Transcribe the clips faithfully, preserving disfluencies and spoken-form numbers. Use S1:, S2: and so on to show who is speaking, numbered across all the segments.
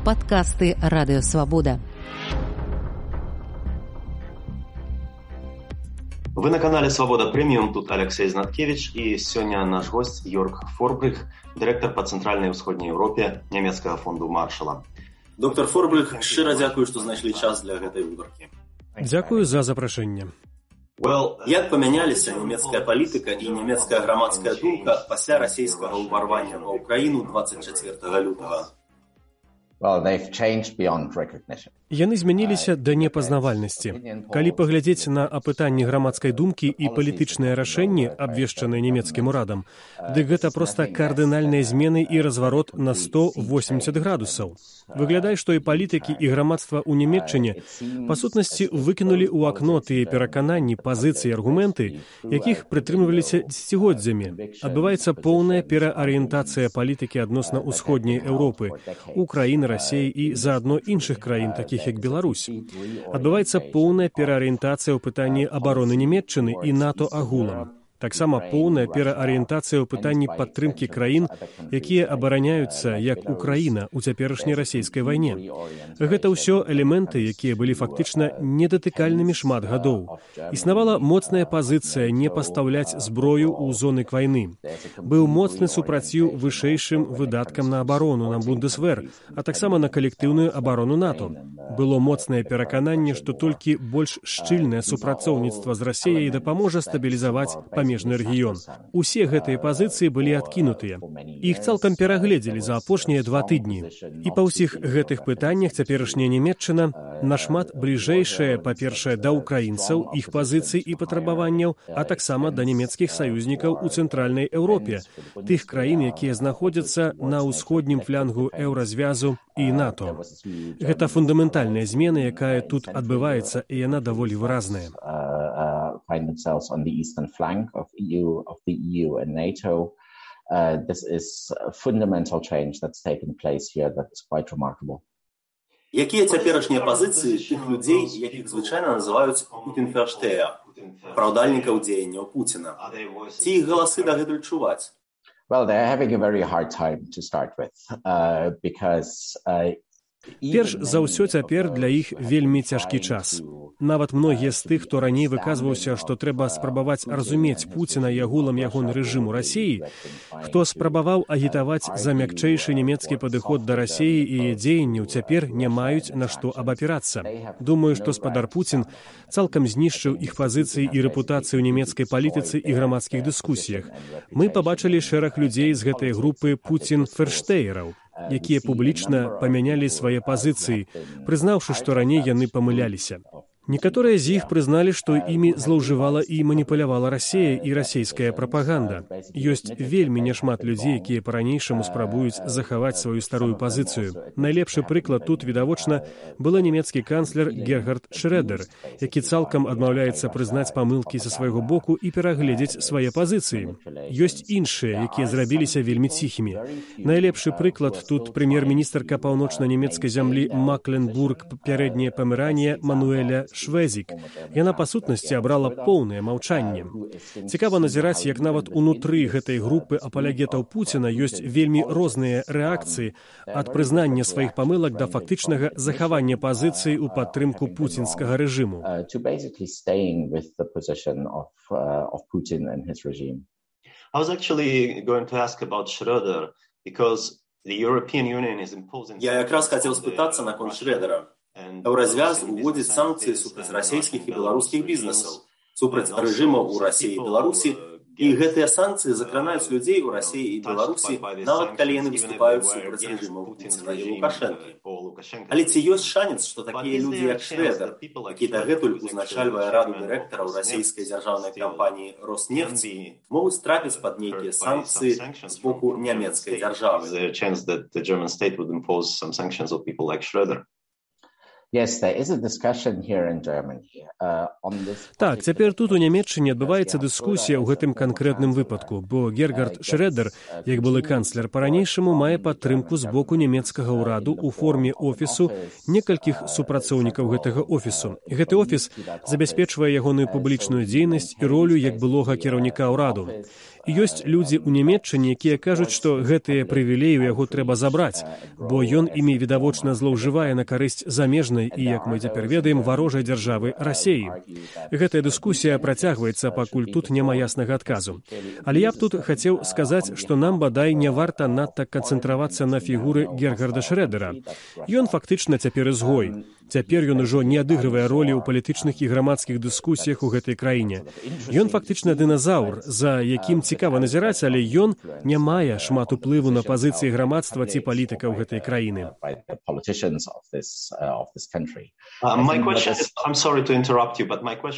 S1: Падкасты Радыё Свабода.
S2: Вы на канале «Свобода Премиум», тут Алексей Знаткевич, и сегодня наш гость Йорг Форбрых, директор по Центральной и Усходней Европе Немецкого фонду Маршала.
S3: Доктор Форбрых, шчыра дзякую, што знайшлі час для гэтай гутаркі.
S4: Дзякую за запрашэнне.
S3: Well, як памяняліся нямецкая палітыка і нямецкая грамадская думка пасля расійскага ўварвання ва ўкраіну дваццаць чацвёртага лютага?
S5: Well, they've changed beyond recognition.
S4: Яны змяніліся да непазнавальнасці. Калі паглядзець на апытанні грамадскай думкі і палітычныя рашэнні, абвешчаныя нямецкім урадам, дык гэта проста кардынальныя змены і разварот на сто восемьдесят градусаў. Выглядае, што і палітыкі, і грамадства ў Нямецчыне па сутнасці выкінулі ў акно тыя перакананні, пазіцыі, аргументы, якіх прытрымліваліся дзесяцігоддзямі. Адбываецца поўная пераарыентацыя палітыкі адносна ўсходняй Еўропы, Украіны, Расіі і заадно іншых краін, такіх як Беларусь. Адбываецца поўная пераарыентацыя ў пытанні абароны Нямецчыны і НАТО агулам. Таксама поўная пераарыентацыя ў пытанні падтрымкі краін, якія абараняюцца, як Украіна, у цяперашняй расійскай вайне. Гэта ўсё элементы, якія былі фактычна недатыкальнымі шмат гадоў. Існавала моцная пазіцыя не пастаўляць зброю ў зоны вайны. Быў моцны супраціў вышэйшым выдаткам на абарону, на Бундесвер, а таксама на калектыўную абарону НАТО. Было моцнае перакананне, што толькі больш шчыльнае супрацоўніцтва з Расіяй дапаможа стабілізаваць памежны рэгіён. Усе гэтыя пазіцыі былі адкінутыя. Іх цалкам перагледзелі за апошнія два тыдні. І па ўсіх гэтых пытаннях цяперашняя Нямецчына нашмат бліжэйшая, па-першае, да ўкраінцаў, іх пазіцый і патрабаванняў, а таксама да нямецкіх саюзнікаў у цэнтральнай Еўропе, тых краін, якія знаходзяцца на ўсходнім флянгу еўразвязу і НАТО. Гэта фундаментальная змена, якая тут адбываецца, і яна даволі выразная.
S5: Of E U, of the E U and NATO. Uh, this is a fundamental change that's taken place here that is quite remarkable.
S3: Якія цяперашнія пазіцыі тых людзей, якіх звычайна называюць Путін-ферштея, праўдальнікаў дзеянняў Пуціна? Ці іх галасы дагэтуль чуваць?
S5: Well, they're having a very hard time to start with, uh, because uh,
S4: Перш за ўсё цяпер для іх вельмі цяжкі час. Нават многія з тых, хто раней выказваўся, што трэба спрабаваць разумець Пуціна і агулам ягоны рэжым у Расіі, хто спрабаваў агітаваць за мякчэйшы нямецкі падыход да Расіі і яе дзеянняў, цяпер не маюць на што абапірацца. Думаю, што спадар Пуцін цалкам знішчыў іх пазіцыі і рэпутацыю ў нямецкай палітыцы і грамадскіх дыскусіях. Мы пабачылі шэраг людзей з гэтай групы Пуцін-ферштеераў, якія публічна памянялі свае пазіцыі, прызнаўшы, што раней яны памыляліся. Некаторыя з іх прызналі, што імі злоўжывала і маніпулявала Расія і расійская прапаганда. Ёсць вельмі няшмат людзей, якія па-ранейшаму спрабуюць захаваць сваю старую пазіцыю. Найлепшы прыклад тут, відавочна, была нямецкі канцлер Герхард Шрэдер, які цалкам адмаўляецца прызнаць памылкі са свайго боку і перагледзець свае пазіцыі. Ёсць іншыя, якія зрабіліся вельмі ціхімі. Найлепшы прыклад тут прэм'ер-міністрка паўночна-нямецкай зямлі Макленбург, пярэдняе Памеранія Мануэля Швезік. Яна, па сутнасці, абрала поўнае маўчанне. Цікава назіраць, як нават унутры гэтай групы апалягетаў Пуціна ёсць вельмі розныя рэакцыі ад прызнання сваіх памылак да фактычнага захавання пазіцыі ў падтрымку пуцінскага рэжыму.
S2: I was actually going to ask about Schröder, because the European Union is imposing...
S3: Я якраз хацеў спытацца наконт Шрэдера. Еўразвяз уводзіць санкцыі супраць расійскіх і беларускіх бізнесаў, супраць рэжымаў у Расіі і Беларусі, і гэтыя санкцыі закранаюць людзей у Расіі і Беларусі, нават калі яны выступаюць супраць рэжымаў Пуціна і Лукашэнкі. Але ці ёсць шанец, што такія людзі, як Шрэдер, які дагэтуль узначальвае раду дырэктараў расійскай дзяржаўнай кампаніі «Роснефть», могуць трапіць пад нейкія санкцыі з боку нямецкай дзяржавы?
S5: Yes, there is a discussion here in Germany uh, on this.
S4: Так, цяпер тут у Нямецчыне адбываецца дыскусія ў гэтым канкрэтным выпадку, бо Герхард Шрэдер, як былы канцлер, па-ранейшаму мае падтрымку з боку нямецкага ўраду ў форме офісу некалькіх супрацоўнікаў гэтага офісу. Гэты офіс забяспечвае ягоную публічную дзейнасць і ролю як былога кіраўніка ўраду. Ёсць людзі ў Нямецчыне, якія кажуць, што гэтыя прывілеі ў яго трэба забраць, бо ён імі відавочна злоўжывае на карысць замежнай і, як мы цяпер ведаем, варожай дзяржавы Расеі. Гэтая дыскусія працягваецца, пакуль тут няма яснага адказу. Але я б тут хацеў сказаць, што нам, бадай, не варта надта канцэнтравацца на фігуры Гергарда Шрэдера. Ён фактычна цяпер изгой. Цяпер ён ужо не адыгрывае ролі ў палітычных і грамадскіх дыскусіях у гэтай краіне. Ён фактычна дыназаўр, за якім цікава назіраць, але ён не мае шмат уплыву на пазіцыі грамадства ці палітыкаў гэтай краіны.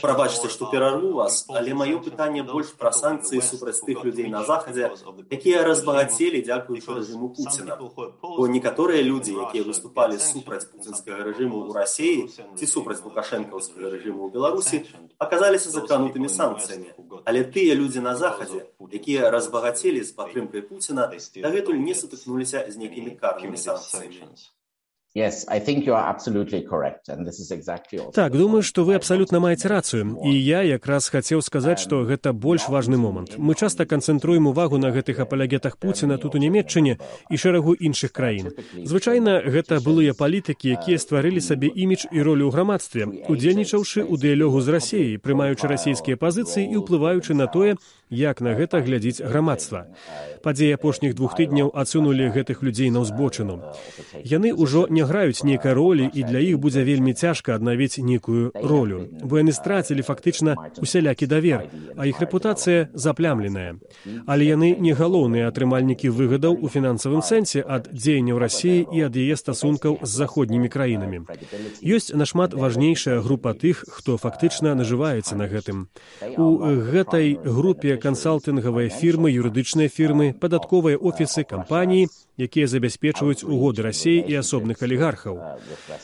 S3: Прабачце, што перарву вас, але маё пытанне больш пра санкцыі супраць тых людзей на Захадзе, якія разбагацелі дзякуючы рэжыму Пуціна. Бо некаторыя людзі, якія выступалі супраць пуцінскага рэжыму ў Расеі ці супраць лукашэнкаўскага рэжыму ў Беларусі, аказаліся закранутымі санкцыямі. Але тыя людзі на Захадзе, якія разбагацелі з падтрымкай Пуціна, дагэтуль не сутыкнуліся з нейкімі карнымі санкцыямі.
S5: Yes, I think you are absolutely correct, and this is exactly also...
S4: Так, думаю, што вы абсалютна маеце рацыю. І я якраз хацеў сказаць, што гэта больш важны момант. Мы часта канцэнтруем увагу на гэтых апалягетах Пуціна тут у Нямецчыне і шэрагу іншых краін. Звычайна, гэта былыя палітыкі, якія стварылі сабе імідж і ролю ў грамадстве, удзельнічаўшы ў дыялогу з Расеяй, прымаючы расійскія пазіцыі і ўплываючы на тое, як на гэта глядзіць грамадства. Падзеі апошніх двух тыдняў адсунулі гэтых людзей на ўзбочыну. Яны ўжо не граюць нейкай ролі, і для іх будзе вельмі цяжка аднавіць нейкую ролю. Бо яны страцілі фактычна усялякі давер, а іх рэпутацыя заплямленая. Але яны не галоўныя атрымальнікі выгадаў у фінансавым сэнсе ад дзеянняў Расіі і ад яе стасункаў з заходнімі краінамі. Ёсць нашмат важнейшая група тых, хто фактычна нажываецца на гэтым. У гэтай групе кансалтынгавыя фірмы, юрыдычныя фірмы, падатковыя офісы, кампаніі, якія забяспечваюць угоды Расіі і асобных алігархаў.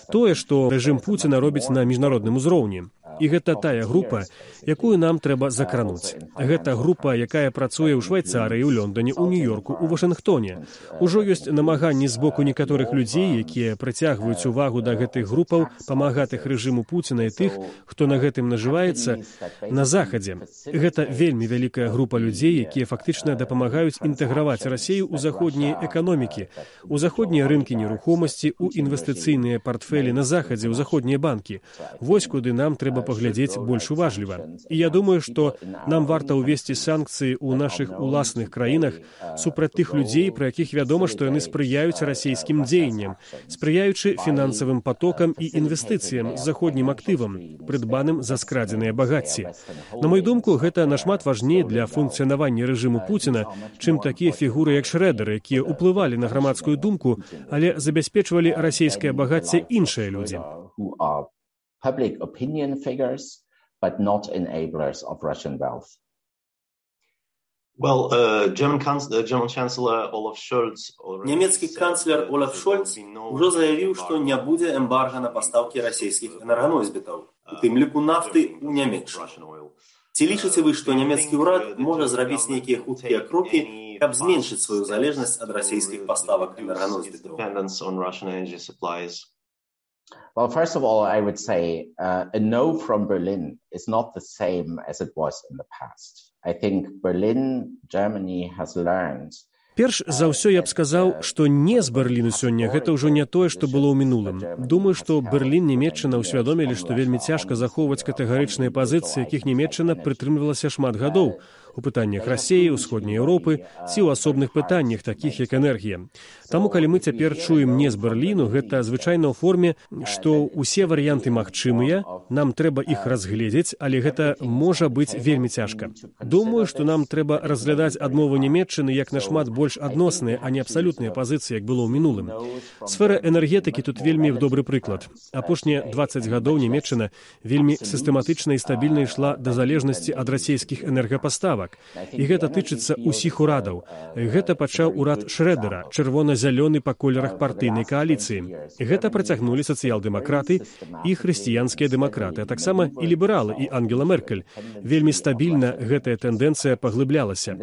S4: Тое, што рэжым Пуціна робіць на міжнародным узроўні. І гэта тая група, якую нам трэба закрануць. Гэта група, якая працуе ў Швайцарыі, у Лондоне, у Нью-Йорку, у Вашынгтоне. Ужо ёсць намаганні з боку некаторых людзей, якія прыцягваюць увагу да гэтых групаў, памагатых рэжыму Пуціна і тых, хто на гэтым нажываецца на Захадзе. Гэта вельмі вялікая група людзей, якія фактычна дапамагаюць інтэграваць Расею ў заходнія эканомікі, у заходнія рынкі нерухомасці, у інвестыцыйныя партфелі на Захадзе, у заходнія банкі. Вось куды нам трэба паглядзець больш уважліва. І я думаю, што нам варта ўвесці санкцыі ў нашых уласных краінах супраць тых людзей, пра якіх вядома, што яны спрыяюць расійскім дзеянням, спрыяючы фінансавым потокам і інвестыцыям з заходнім актывам, прыдбаным за скрадзеныя багацці. На мою думку, гэта нашмат важней для функцыянавання рэжыму Пуціна, чым такія фігуры, як Шрэдер, якія ўплывалі на грамадскую думку, але забяспечвалі расійскае багацце іншыя людзі.
S5: Public opinion figures, but not enablers of Russian wealth.
S2: Well, uh, German, uh, German Chancellor Olaf Scholz...
S3: Нямецкі канцлер Олаф Шольц ужо заявіў, што не будзе эмбарга на пастаўкі расійскіх энерганосьбітаў, у тым ліку нафты ў Нямецчыну. Ці лічыце вы, што нямецкі ўрад можа зрабіць нейкія хуткія крокі, каб зменшыць сваю залежнасць ад расійскіх паставак энерганосьбітаў?
S5: Well, first of all, I would say uh, a no from Berlin is not the same as it was in the past. I think Berlin, Germany has learned.
S4: Перш за ўсё я б сказаў, што не з Берліну сёння гэта ўжо не тое, што было ў мінулым. Думаю, што Берлін, Нямецчына ўсвядомілі, што вельмі цяжка захоўваць катэгарычныя пазіцыі, якіх Нямецчына прытрымлівалася шмат гадоў у пытаннях Расіі, Усходняй Еўропы ці ў асобных пытаннях, такіх як энергія. Таму, калі мы цяпер чуем не з Берліну, гэта звычайна ў форме, што ўсе варыянты магчымыя, нам трэба іх разгледзець, але гэта можа быць вельмі цяжка. Думаю, што нам трэба разглядаць адмову Нямецчыны як нашмат больш адносныя, а не абсалютныя пазіцыі, як было ў мінулым. Сфера энергетыкі тут вельмі добры прыклад. Апошнія дваццаць гадоў Нямецчына вельмі сістэматычна і стабільна ішла да залежнасці ад расійскіх энергапаставак. І гэта тычыцца ўсіх урадаў. Гэта пачаў урад Шрэдера, чырвона-зялёны па колерах партыйнай кааліцыі. Гэта працягнулі сацыял-дэмакраты і хрысціянскія дэмакраты. сацыял-дэмакраты, а таксама і лібералы, і Ангела Меркель. Вельмі стабільна гэтая тэндэнцыя паглыблялася.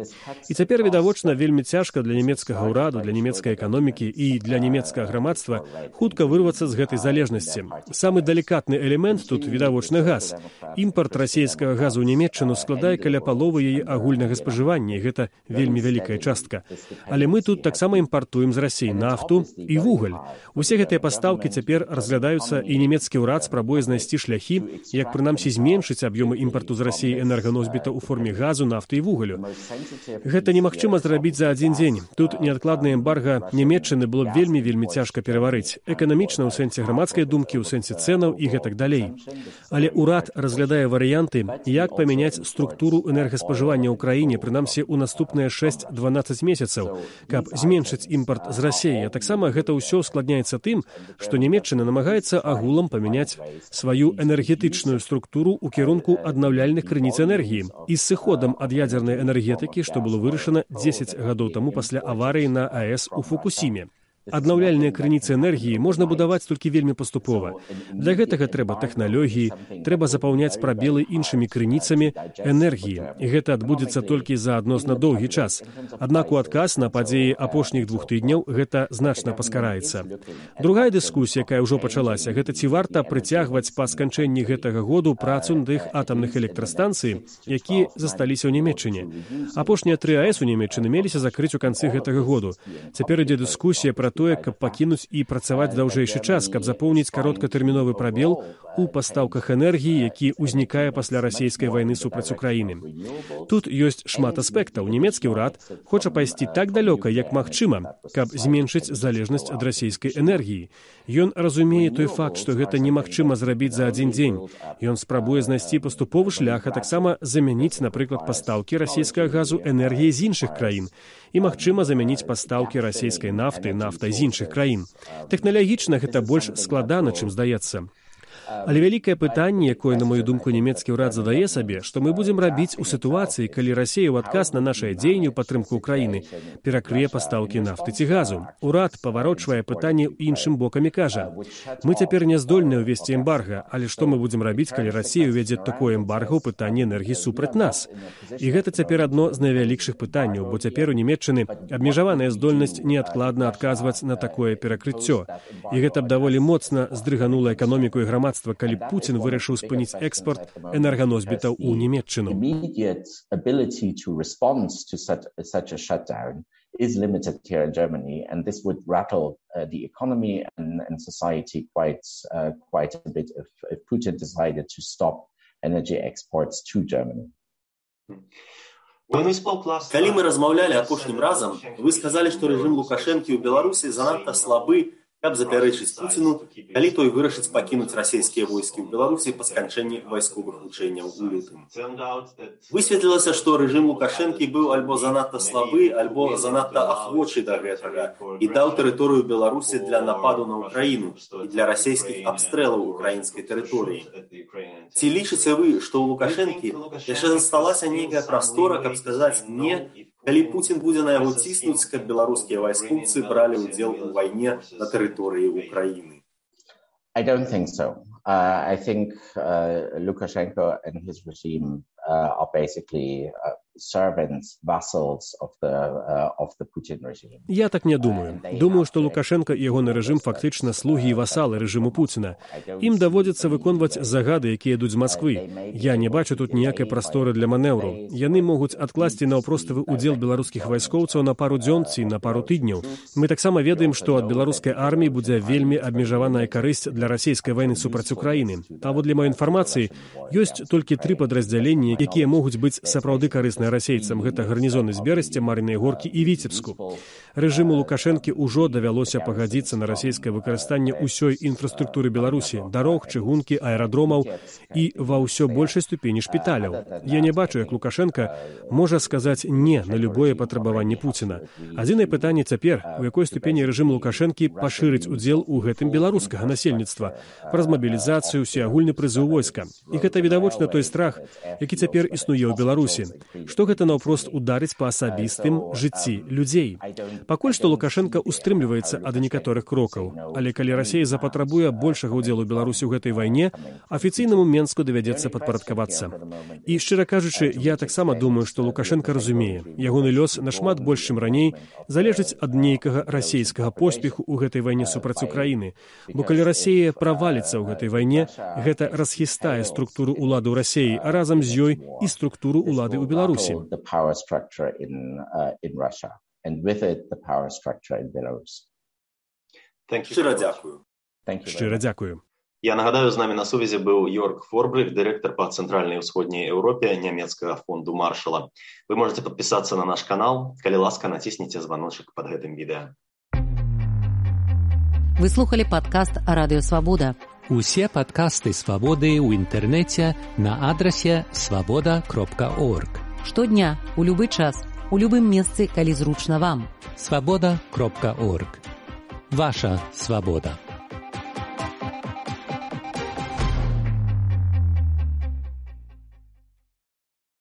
S4: І цяпер, відавочна, вельмі цяжка для нямецкага ўраду, для нямецкай эканомікі і для нямецкага грамадства хутка вырвацца з гэтай залежнасці. Самы далікатны элемент тут, відавочна, газ. Імпарт расійскага газу ў Нямецчыну складае каля паловы яе агульнага спажывання, і гэта вельмі вялікая частка. Але мы тут таксама імпартуем з Расіі нафту і вугаль. Усе гэтыя пастаўкі цяпер разглядаюцца, і нямецкі ўрад спрабуе знайсці шляхі, як прынамсі зменшыць аб'ёмы імпарту з Расіі энерганосьбіта ў форме газу, нафты і вугалю. Гэта немагчыма зрабіць за адзін дзень. Тут неадкладнае эмбарга Нямецчыны было б вельмі-вельмі цяжка пераварыць. Эканамічна ў сэнсе грамадскай думкі, ў сэнсе цэнаў і гэтак далей. Але ўрад разглядае варыянты, як памяняць структуру энергаспажывання ў краіне, прынамсі ў наступныя шэсць-дванаццаць месяцаў, каб зменшыць імпарт з Расіі. А таксама гэта ўсё ускладняецца тым, што Нямецчына намагаецца агулам памяняць сваю энергетычную структуру ў кірунку аднаўляльных крыніц энергіі і з сыходам ад ядзернай энергетыкі, што было вырашана дзесяць гадоў таму пасля аварыі на АЭС у Фукусіме. Аднаўляльныя крыніцы энергіі можна будаваць толькі вельмі паступова. Для гэтага трэба тэхналогіі, трэба запаўняць прабелы іншымі крыніцамі энергіі. І гэта адбудзецца толькі за адносна доўгі час. Аднак у адказ на падзеі апошніх двух тыдняў гэта значна паскараецца. Другая дыскусія, якая ўжо пачалася, гэта ці варта прыцягваць па сканчэнні гэтага году працу над іх атамных электрастанцый, якія засталіся ў Нямецчыне. Апошнія тры АЭС у Нямецчыны меліся закрыць у канцы гэтага году. Цяпер ідзе дыскусія пра тое, каб пакінуць і працаваць даўжэйшы час, каб запоўніць кароткатэрміновы прабел у пастаўках энергіі, які ўзнікае пасля расійскай вайны супраць Украіны. Тут ёсць шмат аспектаў. Нямецкі ўрад хоча пайсці так далёка, як магчыма, каб зменшыць залежнасць ад расійскай энергіі. Ён разумее той факт, што гэта немагчыма зрабіць за адзін дзень. Ён спрабуе знайсці паступовы шлях, а таксама замяніць, напрыклад, пастаўкі расійскага газу энергіяй з іншых краін. І магчыма замяніць пастаўкі расійскай нафты нафтай з іншых краін. Тэхналагічна гэта больш складана, чым здаецца. Але вялікае пытанне, якое, на мою думку, нямецкі ўрад задае сабе, што мы будзем рабіць у сітуацыі, калі Расія ў адказ на нашае дзеянне ў падтрымку Украіны перакрые пастаўкі нафты ці газу. Урад паварочвае пытанне іншым бокам і кажа: мы цяпер не здольныя ўвесці эмбарга, але што мы будзем рабіць, калі Расія ўведзе такое эмбарга ў пытанні энергіі супраць нас? І гэта цяпер адно з найвялікшых пытанняў, бо цяпер у Нямецчыны абмежаваная здольнасць неадкладна адказваць на такое перакрыццё. І гэта б даволі моцна здрыганула эканоміку і грамадства, калі Пуцін вырашыў спыніць экспорт энерганосьбітаў у Нямецчыну.
S5: Is limited here in Germany, and this would rattle uh, the economy and, and society quite uh, quite a bit if, if Putin decided to stop energy exports to Germany.
S3: Калі мы размаўлялі апошнім разам, вы сказалі, што рэжым Лукашэнкі ў Беларусі занадта слабы, каб запярэчыць Пуціну, калі той вырашыць пакінуць расійскія войскі ў Беларусі па сканчэнні вайсковых вучэнняў у лютым. Высветлілася, што рэжым Лукашэнкі быў альбо занадта слабы, альбо занадта ахвочы да гэтага і даў тэрыторыю Беларусі для нападу на Украіну і для расійскіх абстрэлаў украінскай тэрыторыі. Ці лічыце вы, што ў Лукашэнкі яшчэ засталася нейкая прастора, каб сказаць «не», калі Пуцін будзе на яго ціснуць, каб беларускія вайскоўцы бралі ўдзел у вайне на тэрыторыі Украіны?
S5: I don't think so. Uh, I think uh, Lukashenko and his regime uh, are basically uh, servants, vassals of the uh, of the Putin regime.
S4: Я так не думаю. Думаю, што Лукашенко і ягоны рэжым фактычна слугі і васалы рэжыму Пуціна. Ім даводзіцца выконваць загады, якія ідуць з Масквы. Я не бачу тут ніякай прасторы для манеўру. Яны могуць адкласці наўпроставы ўдзел беларускіх вайскоўцаў на пару дзён ці на пару тыдняў. Мы таксама ведаем, што ад беларускай арміі будзе вельмі абмежаваная карысць для расійскай вайны супраць Украіны. Паводле маёй інфармацыі, ёсць толькі тры падраздзяленні, якія могуць быць сапраўды карысныя расейцам. Гэта гарнізоны з Берасця, Мар'їнай Горкі і Віцебску. Рэжыму Лукашэнкі ўжо давялося пагадзіцца на расійскае выкарыстанне ўсёй інфраструктуры Беларусі, дарог, чыгункі, аэрадромаў і ва ўсё большай ступені шпіталяў. Я не бачу, як Лукашенка можа сказаць «не» на любое патрабаванне Пуціна. Адзінае пытанне цяпер, у якой ступені рэжым Лукашэнкі пашырыць удзел у гэтым беларускага насельніцтва, праз мабілізацыю, усеагульны прызыў войска. І гэта відавочна той страх, які цяпер цяпер існуе ў Беларусі, што гэта наўпрост ударыць па асабістым жыцці людзей. Пакуль што Лукашенко устрымліваецца ад некаторых крокаў, але калі Расія запатрабуе большага ўдзелу Беларусі ў гэтай вайне, афіцыйнаму Менску давядзецца падпарадкавацца. І, шчыра кажучы, я таксама думаю, што Лукашенко разумее, ягоны лёс нашмат больш, чым раней, залежыць ад нейкага расейскага поспеху ў гэтай вайне супраць Украіны. Бо калі Расія праваліцца ў гэтай вайне, гэта расхістае структуру ўлады ў Расіі, а разам з ёй і структуру ўлады ў Беларусі.
S3: Шчыра дзякую.
S4: Шчыра дзякую.
S2: Я нагадаю, з намі на сувязі быў Йорк Форбрых, дырэктар па цэнтральнай і ўсходняй Еўропе нямецкага фонду Маршала. Вы можете падпісацца на наш канал. Калі ласка, націсніце званочак пад гэтым відэа.
S1: Вы слухали падкаст Радыё Свабода.
S6: Усе падкасты Свабоды ў інтэрнэце на адрасе свабода кропка орг.
S1: Штодня, у любы час, у любым месцы, калі зручна вам.
S6: свабода кропка орг. Ваша свабода.